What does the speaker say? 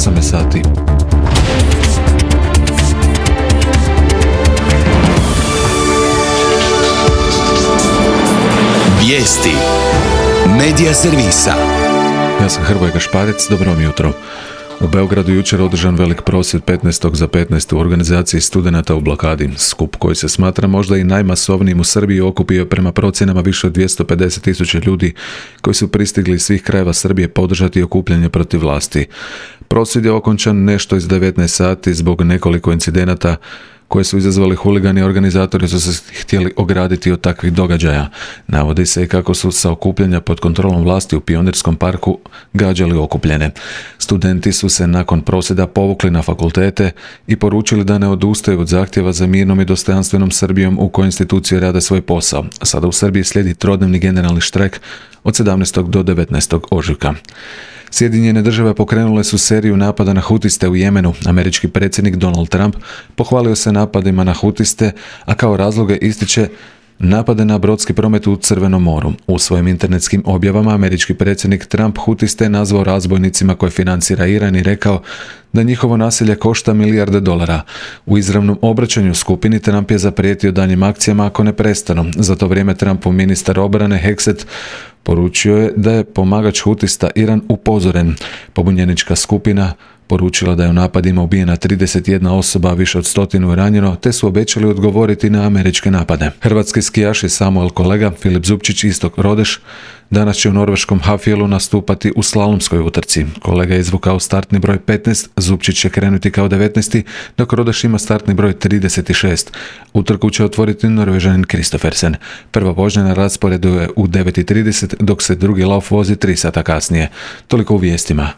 8 sati. Vijesti Medija servisa. Ja sam Hrvoje Gašparec, dobro vam jutro. U Beogradu jučer održan velik prosvjed 15. za 15. u organizaciji studenata u blokadi. Skup koji se smatra možda i najmasovnijim u Srbiji okupio prema procjenama više od 250.000 ljudi koji su pristigli iz svih krajeva Srbije podržati okupljanje protiv vlasti. Prosvjed je okončan nešto iz 19 sati zbog nekoliko incidenata koje su izazvali huligani. Organizatori su se htjeli ograditi od takvih događaja. Navodi se i kako su sa okupljanja pod kontrolom vlasti u Pionirskom parku gađali okupljene. Studenti su se nakon prosvjeda povukli na fakultete i poručili da ne odustaju od zahtjeva za mirnom i dostojanstvenom Srbijom u kojoj institucije rade svoj posao. Sada u Srbiji slijedi trodnevni generalni štrajk od 17. do 19. ožujka. Sjedinjene države pokrenule su seriju napada na hutiste u Jemenu. Američki predsjednik Donald Trump pohvalio se napadima na hutiste, a kao razloge ističe napade na brodski promet u Crvenom moru. U svojim internetskim objavama američki predsjednik Trump hutiste nazvao razbojnicima koje financira Iran i rekao da njihovo nasilje košta milijarde dolara. U izravnom obraćanju skupini Trump je zaprijetio daljnjim akcijama ako ne prestanu. Za to vrijeme Trumpov ministar obrane Hexet poručio je da je pomagač hutista Iran upozoren. Pobunjenička skupina poručila da je u napadima ubijena 31 osoba, više od 100 ranjeno, te su obećali odgovoriti na američke napade. Hrvatski skijaš i Samuel Kolega, Filip Zupčić i Istok Rodeš danas će u norveškom Hafjelu nastupati u slalomskoj utrci. Kolega je izvukao startni broj 15, Zupčić će krenuti kao 19, dok Rodeš ima startni broj 36. Utrku će otvoriti Norvežanin Kristoffersen. Prva vožnja na rasporedu je u 9:30, dok se drugi lauf vozi 3 sata kasnije. Toliko u vijestima.